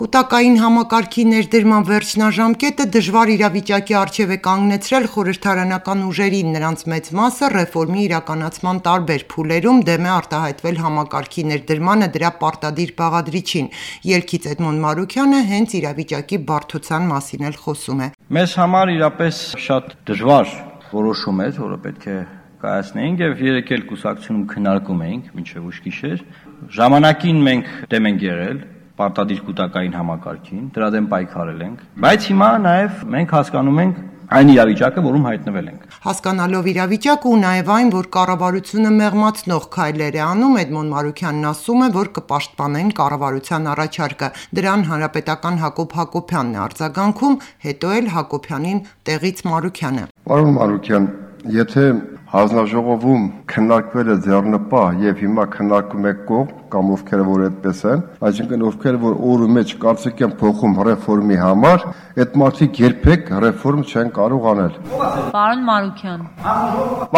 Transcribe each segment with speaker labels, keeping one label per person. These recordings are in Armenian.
Speaker 1: Կուտակային համակարգի ներդրման վերջնաժամկետը դժվար իրավիճակի առջև է կանգնեցրել խորհրդարանական ուժերին, նրանց մեծ մասը ռեֆորմի իրականացման տարբեր փուլերում դեմ է արտահայտվել համակարգի ներդրմանը դրա պարտադիր բաղադրիչին։ Ելքից Էդմոն Մարուքյանը հենց իրավիճակի բարդության մասին էլ խոսում է։
Speaker 2: Մեզ համար իրապես շատ դժվար որոշում էր, որը պետք է կայացնեինք եւ երեք էլ կուսակցությունում քննարկում էինք մինչեւ ուշ գիշեր։ Ժամանակին մենք դեմ ենք եղել պարտադիր կուտակային համակարգին, դրա դեմ պայքարել ենք, բայց հիմա նաև մենք հասկանում ենք այն իրավիճակը, որում հայտնվել ենք։
Speaker 1: Հասկանալով իրավիճակը ու նաև այն, որ կառավարությունը մեղմացնող քայլեր է անում, Էդմոն Մարուքյանն ասում է, որ կպաշտպանեն կառավարության առաջարկը։ Դրան հանրապետական Հակոբ Հակոբյանն է արձագանքում, հետո էլ Հակոբյանին տեղից Մարուքյանը։
Speaker 3: Պարոն Մարուքյան, եթե հանձնաժողովում քննարկվել է ձեռնպահ եւ հիմա քննարկում եք կողմ կամ ովքեր որ այդպես են, այսինքն ովքեր որ օրու մեջ կարծիք են փոխում ռեֆորմի համար, այդ մարդիկ երբեք ռեֆորմ չեն կարող անել։
Speaker 4: Պարոն Մարուքյան։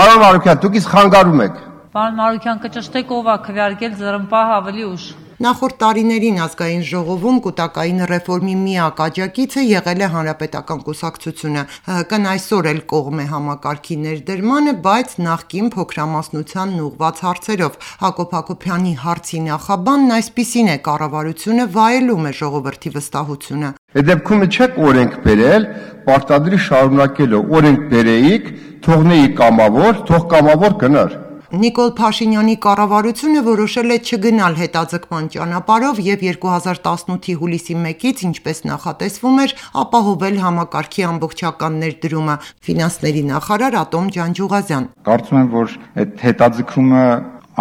Speaker 3: Պարոն Մարուքյան, դուք իսկ խանգարում եք։
Speaker 4: Պարոն Մարուքյան, կճշտեք ով է քվեարկել ձեռնպահ ավելի ուշ։
Speaker 1: Նախորդ տարիներին ազգային ժողովում կուտակային ռեֆորմի միակ աջակիցը եղել է հանրապետական կուսակցությունը։ ՀՀԿ-ն այսօր էլ կողմ է համակարգի ներդրմանը, բայց նախկին փոքրամասնությանն ուղղված հարցերով։ Հակոբ Հակոբյանի հարցի նախաբանն այսպիսին է՝ կառավարությունը վայելում է ժողովրդի վստահությունը։
Speaker 3: Այդ դեպքում չեք օրենք բերել, պարտադիր շարունակելու օրենք բերեիք, թողնեիք կամավոր, թող կամավոր գնար։
Speaker 1: Նիկոլ Փաշինյանի կառավարությունը որոշել է չգնալ հետաձգման ճանապարհով եւ 2018-ի հուլիսի 1-ից, ինչպես նախատեսվում էր, ապահովել համակարգի ամբողջական ներդրումը։ Ֆինանսների նախարար Ատոմ Ջանջուղազյան։
Speaker 5: Կարծում եմ, որ այդ հետաձգումը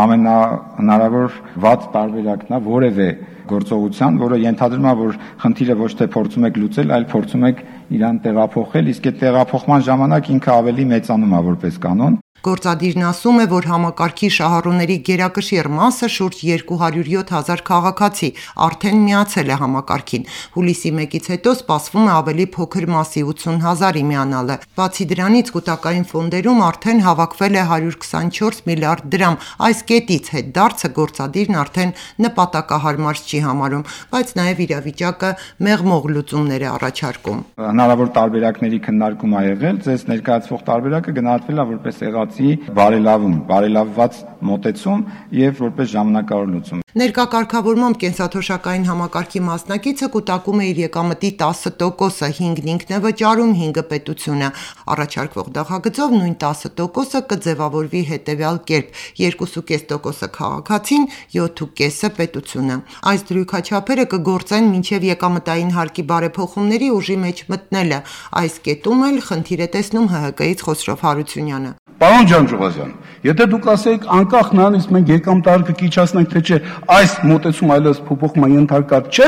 Speaker 5: ամենահնարավոր վատ տարբերակն է որևէ գործողության, որը ենթադրում է, որ խնդիրը ոչ թե փորձում եք լուծել, այլ փորձում եք իրան տեղափոխել, իսկ այդ տեղափոխման ժամանակ ինքը ավելի մեծանում է որպես կանոն։
Speaker 1: Գործադիրն ասում է, որ համակարգի շահառուների գերակշիռ մասը շուրջ 207,000 քաղաքացի արդեն միացել է համակարգին։ Հուլիսի 1-ից հետո սպասվում է ավելի փոքր մասի 80,000-ի միանալը։ Բացի դրանից կուտակային ֆոնդերում արդեն հավաքվել է 124 միլիարդ դրամ։ Այս կետից հետդարձը գործադիրն արդեն նպատակահարմար չի համարում, բայց նաև իրավիճակը մեղմող լուծումներ է առաջարկում։
Speaker 5: Հնարավոր տարբերակների քննարկում ա եղել, ձեզ ներկայացվող տարբերակը գնահատվել է որպես բարելավված մոտեցում եւ որպես ժամանակավոր լուծում։
Speaker 1: Ներկա կարգավորմամբ կենսաթոշակային համակարգի մասնակիցը կուտակում է իր եկամտի 10%-ը, 5-ն ինքն է վճարում, 5-ը պետությունը։ Առաջարկվող նախագծով նույն 10%-ը կձևավորվի հետևյալ կերպ՝ 2.5%-ը քաղաքացին, 7.5%-ը պետությունը։ Այս դրույքաչափերը կգործեն մինչև եկամտային հարկի բարեփոխումների ուժի մեջ մտնելը։ Այս կետում էլ խնդիր է տեսնում ՀՀԿ-ից Խոսրով Հարությունյանը։
Speaker 6: Պարոն Ջանջուղազյան, եթե դուք ասեիք անկախ նրանից մենք եկամտարկը կիչացնենք թե չէ, այս մոտեցում այլևս փոփոխման ենթարկած չէ,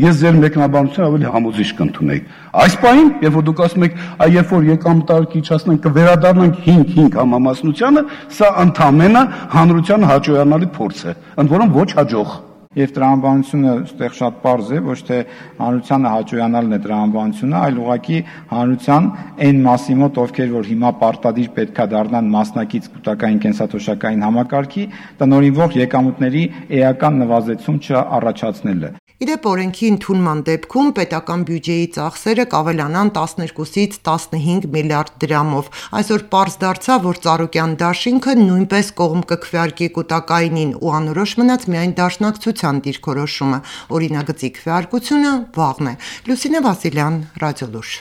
Speaker 6: ես ձեր մեկնաբանությունը ավելի համոզիչ կընդունեի։ Այս պահին, երբ որ դուք ասում եք, երբ որ եկամտարկը կիչացնենք կվերադառնանք 5-5 համամասնությանը, սա ընդամենը հանրության հաջողանալի փորձ է, ընդ որում ոչ հաջող։
Speaker 5: Եվ տրամաբանությունը այստեղ շատ պարզ է, ոչ թե հանրությանը հաջողանալն է տրամաբանությունը, այլ ուղղակի հանրության այն մասի մոտ, ովքեր որ հիմա պարտադիր պետքա դառնան մասնակից կուտակային կենսաթոշակային համակարգի, տնօրինվող եկամուտների էական նվազեցում չառաջացնելը։
Speaker 1: Իդեպ օրենքի ընդունման դեպքում պետական բյուջեի ծախսերը կավելանան 12-ից 15 միլիարդ դրամով։ Այսօր պարզ դարձավ, որ Ծառուկյան դաշինքը նույնպես կողմ կքվեարկի կուտակայինին ու անորոշ մնաց միայն դաշնակցության դիրքորոշումը։ Օրինագծի քվեարկությունը վաղն է։ Լուսինե Վասիլյան, Ռադիոլուր։